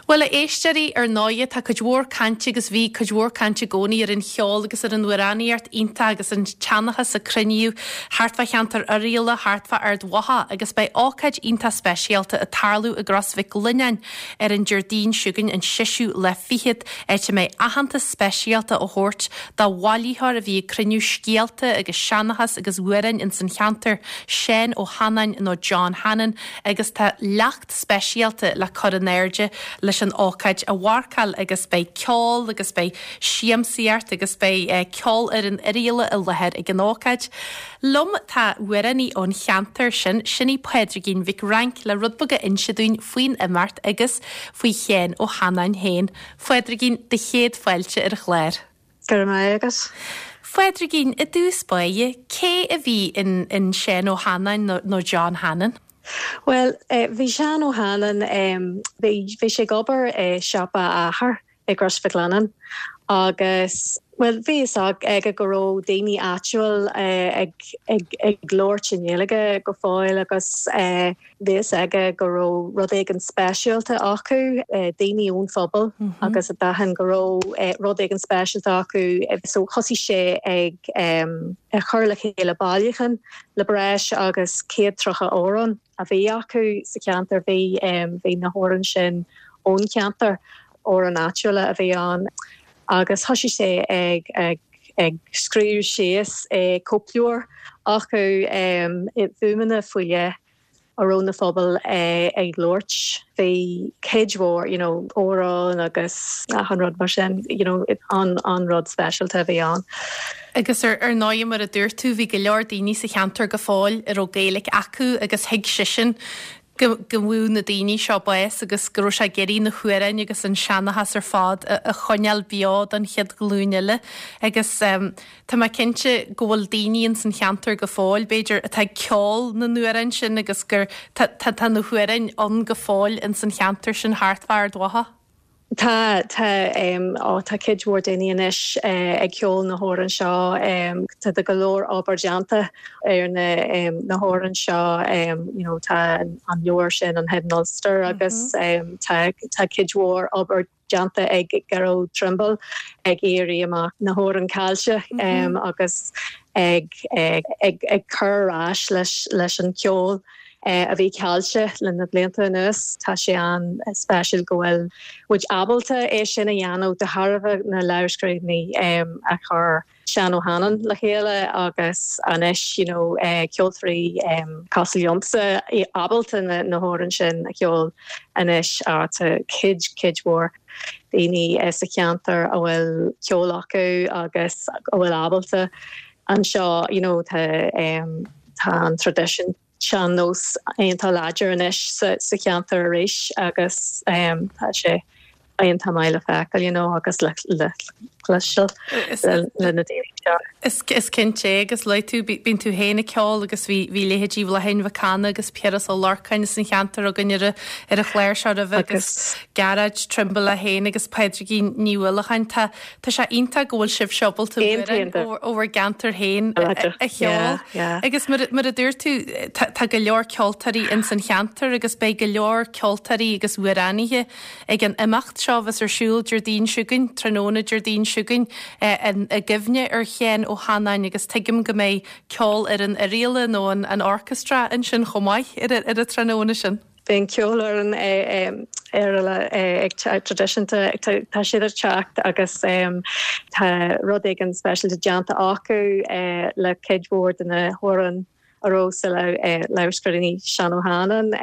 Bhuel, a éisteoirí, ar ndóighe, tá cuid mhór cainte agus bhí cuid mhór cainte i gcónaí ar an cheol agus ar an amhránaíocht iontach agus an tseanchas a cruinníodh thart fá cheantar Oirialla, thart fá Ard Mhacha agus beidh ócáid iontach speisialta ag tarlú i gCros Mhic Lionnáin ar an Déardaoin seo chugainn, an seisiú lá fichead, áit a mbeidh aitheantas speisialta á thabhairt do bhailitheoir a bhí ag cruinniú scéalta agus seanchas agus amhráin ins an cheantar, Seán Ó hAnnáin nó John Hannon agus tá leacht speisialta le cur in airde leis an ócáid a mharcáil agus beidh ceol agus beidh siamsaíocht agus beidh Ceolfhoireann Oirialla i láthair ag an ócáid. Liom tá amhránaí ón cheantar sin, sin í Pádraigín Mhic Fhrainc le rud beag a inse dúinn faoin imeacht agus faoi Sheán Ó hAnnáin féin. Phádraigín, do chéad fáilte ar an chlár. Go raibh maith agat. Phádraigín, i dtús báire, cé a bhí in in Seán Ó hAnnáin nó nó John Hannon? Bhuel, bhí Seán Ó hAnnáin, bhí bhí sé ag obair i siopa a athar i gCrois Mhic Lionnáin agus, bhuel, bhí fhios aige go raibh daoine áitiúil ag ag ag labhairt i nGaeilge go fóill agus Bhí fhios aige go raibh rud éigin speisialta acu, daoine ón phobal agus d'aithin go raibh rud éigin speisialta acu so thosaigh sé ag cur le chéile bailiúchán le breis agus 130 amhrán a bhí acu sa cheantar. Bhí bhí na hamhráin sin ón cheantar, amhráin áitiúla a bhí ann agus thosaigh sé ag ag ag scríobh síos cóipleabhar acu i bhfuaimeanna faoi leith a raibh na phobail ag labhairt. Bhí cuid mhór you know amhráin agus achan rud mar sin you know an an rud speisialta a bhí ann. Agus ar ar ndóigh mar a dúirt tú bhí go leor daoine sa cheantar go fóill a raibh Gaeilge acu agus thuig seisean go go bhfuair na daoine seo bás agus go raibh sé ag iarraidh na hamhráin agus an seanchas ar fad a choinneáil beo don chéad ghlúin eile agus tá mé cinnte go bhfuil daoine ins an cheantar go fóill, b'fhéidir, atá ag ceol na n-amhrán sin agus gur tá tá na hamhráin ann go fóill ins an cheantar sin thart fá Ard Mhacha. Tá, tá, ó tá cuid mhór daoine anois ag ceol na hamhráin seo. Tá go leor obair déanta ar na na hamhráin seo. You know tá an leabhar sin, an Hidden Ulster agus tá tá cuid mhór obair déanta ag Gearóid Trimble ag iarraidh amach na hamhráin caillte agus ag ag ag cur ar ais leis leis an cheol. a bhí caillte le na blianta anuas. Tá sé an-speisialta go bhfuil muid ábalta é sin a dhéanamh de thairbhe na lámhscríbhinní a chuir Seán Ó hAnnáin le chéile agus anois you know ceoltóirí cosúil liomsa ábalta na hamhráin sin a cheol anois. Tá cuid, cuid mhór daoine sa cheantar a bhfuil ceol acu agus a bhfuil ábalta anseo you know tá tá an traidisiún sean-nós iontach láidir anois sa cheantar arís agus tá sé iontach maith le feiceáil you know agus le cloisteáil le na daoine seo. Is cinnte é agus luaigh tú, bíonn tú féin ag ceol agus bhí bhí leithéidí Bhláithín Mhic Cana agus Piaras Ó Lorcáin as an cheantar againn ar ar an chlár seo roimhe agus Gearóid Trimble é féin agus Pádraigín Ní Uallacháin. Tá Tá sé iontach go bhfuil sibhse ábalta amhráin ó bhur gceantar féin a cheol. Agus mar a dúirt tú, tá go leor ceoltóirí ins an cheantar agus beidh go leor ceoltóirí agus amhránaithe ag an imeacht seo a bheas ar siúl Déardaoin seo chugainn, tráthnóna Déardaoin seo chugainn, i gcuimhne ar Sheán Ó hAnnáin agus tuigim go mbeidh ceolfhoireann Oirialla nó an orchestra ansin chomh maith ar an tráthnóna sin. Beidh an ceolfhoireann Oirialla ag traidisiúnta, tá siad ag teacht agus tá rud éigin speisialta déanta acu le cuid mhór de na hamhráin a raibh sa lámhscríbhinní Seán Ó hAnnáin.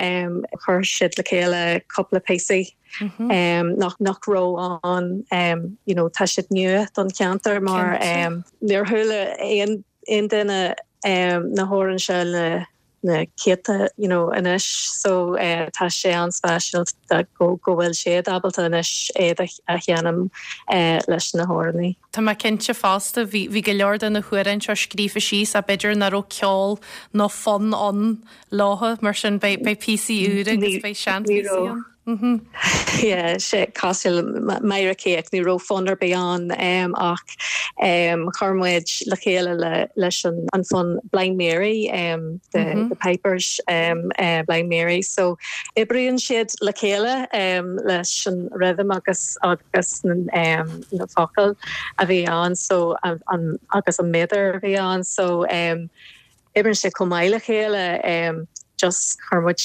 Chuir siad le chéile cúpla píosaí nach raibh ann, you know tá siad nua don cheantar mar níor chuala aon duine na hamhráin seo le na céadta you know anois so tá sé an-speisialta go go bhfuil siad ábalta anois iad a sheinm leis na hamhránaí. Tá mé cinnte fosta, bhí bhí go leor de na hamhráin seo scríofa síos ach b'fhéidir nach raibh ceol nó fonn ann leo mar sin beidh beidh píosaí úra agus beidh seanphíosaí ann. Yeah, sé cosúil le Máire Cake, ní raibh fonn ar bith ann ach chuir muid le chéile leis an fonn Blind Mary, the Pipers Blind Mary. So oibríonn siad le chéile leis an rhythm agus agus na focail a bhí ann so agus an méadar a bhí ann so oibríonn sé chomh maith le chéile just chuir muid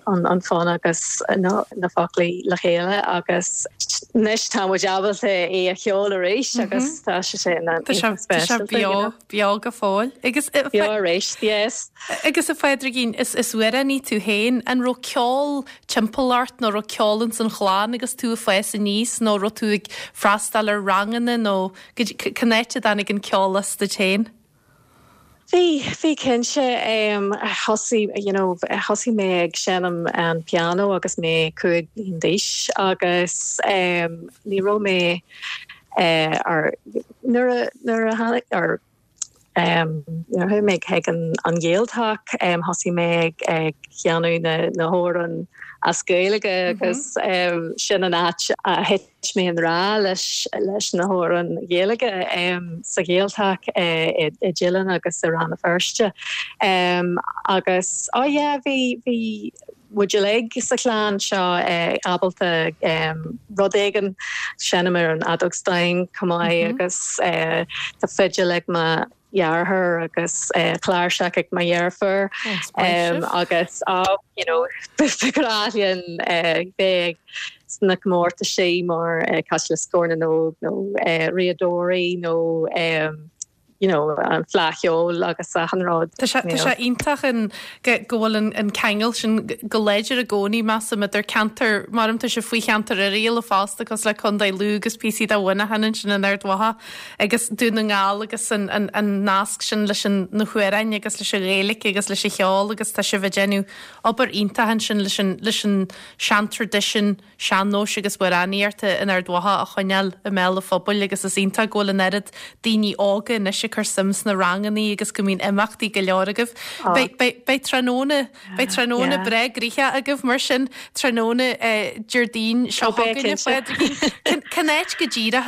an fonn agus na foclaí le chéile agus anois tá muid ábalta é a cheol arís agus tá sé sin iontach speisialta. Tá sé beo go fóill. Agus Beo arís, yes. Agus a Phádraigín, is amhránaí tú féin, an raibh ceol timpeall ort nó raibh ceol ins an chlann agus tú ag fás aníos nó raibh tú ag freastal ar ranganna nó cén áit a dtáinig an ceol as duit féin? Bhí, bhí cinnte. Thosaigh, you know, thosaigh mé ag seinm an pianó agus mé 5 bliain d'aois agus ní raibh mé ar, nuair a, nuair a tháinig, or nuair a chuaigh mé chuig an an Ghaeltacht, thosaigh mé ag ag cheannú na na hamhráin as Gaeilge agus sin an áit a thit Thit mé i ngrá leis leis na hamhráin Ghaeilge sa Ghaeltacht i dTeileann agus i Rann na Feirste. Agus oh yeah bhí bhí muid uilig sa chlann seo ábalta rud éigin seinm ar an fheadóg stáin chomh maith agus tá fidil ag mo dheartháir agus cláirseach ag mo dheirfiúr agus you know ba ghnách linn bheith sna comórtaisí mar cosúil le Scór na nÓg nó Riadóirí nó you know an Fleadh Cheoil agus achan rud. Tá sé tá sé iontach an go go bhfuil an an ceangal sin go láidir i gcónaí measaim idir ceantar mar tá sibh faoi cheantar Oirialla fosta cosúil le Contae Lú agus píosaí de Mhuineachán ansin in Ard Mhacha. agus Dún na nGall agus an nasc sin leis na hamhráin agus leis an Ghaeilge agus leis an cheol agus tá sibh ag déanamh obair iontach ansin leis an leis an seantraidisiún sean-nóis agus amhránaíochta in Ard Mhacha a choinneáil i mbéal an phobail agus is iontach go bhfuil an oiread daoine óga anois ag cur suim sna rangannaí agus go mbíonn imeachtaí go leor agaibh. Beidh beidh beidh tráthnóna Beidh tráthnóna breá gnoitheach agaibh mar sin, tráthnóna Déardaoin seo chugainn, a Phádraigín. Cén áit go díreach,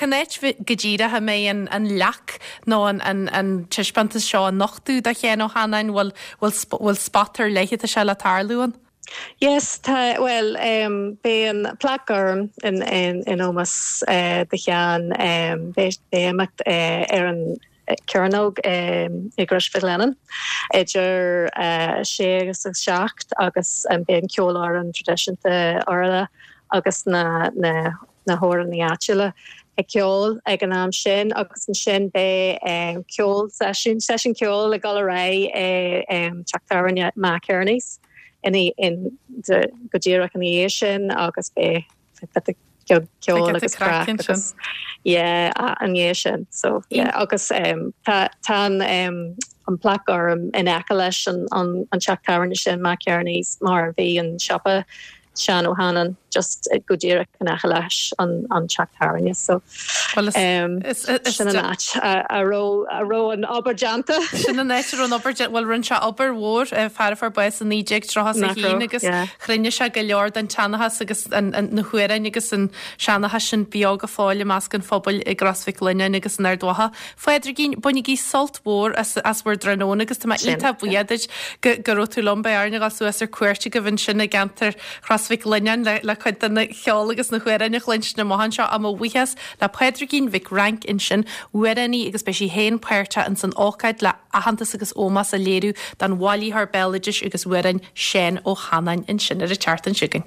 cén áit go díreach a mbeidh an leac nó an taispeántas seo á nochtadh do Sheán Ó hAnnáin? Bhfuil spot ar leith atá sé le tarlú ann? Yes, tá, bhuel, beidh an Plaic Gorm in ómós do Sheán, beidh imeacht ar an Cearnóg i gCrois Mhic Lionnáin idir 6 agus 7 agus beidh an ceolfhoireann traidisiúnta Oirialla agus na na hamhránaí áitiúla ag ceol ag an am sin agus ansin beidh ceol seisiún seisiún ceoil ag dul ar aghaidh i teach tábhairne Mac Kearney's go díreach ina dhiaidh sin agus beidh beidh ceol agus craic agus yeah ina dhiaidh sin so yeah agus tá tá an an plaic gorm in aice leis an an an teach tábhairne sin Mac Kearney's mar bhí an siopa Seán Ó hAnnáin just go díreach in aice leis an an teach tábhairne so sin an áit a raibh a raibh an obair déanta. Sin an áit a raibh an obair déanta, bhuel rinne sé obair mhór fear a fuair bás i 1931 agus Chruinnigh sé go leor den tseanchas agus na hamhráin agus an seanchas sin beo go fóill i measc an phobail i gCros Mhic Lionnáin agus in Ard Mhacha. Phádraigín, bainigí sult mhór as as bhur dtráthnóna agus tá mé iontach buíoch duit go go raibh tú liom. Beidh orainn a dhul suas ar cuairt agaibh ansin i gceantar Chros Mhic Lionnáin le le cuid den cheol agus na hamhráin a chluinstin amach anseo. Ach mo bhuíochas le Pádraigín Mhic Fhrainc ansin, amhránaí agus beidh sí féin páirteach ins an ócáid le aitheantas agus ómós a léiriú don bhailitheoir béaloidis agus amhrán Seán Ó hAnnáin ansin ar an tseachtain seo chugainn.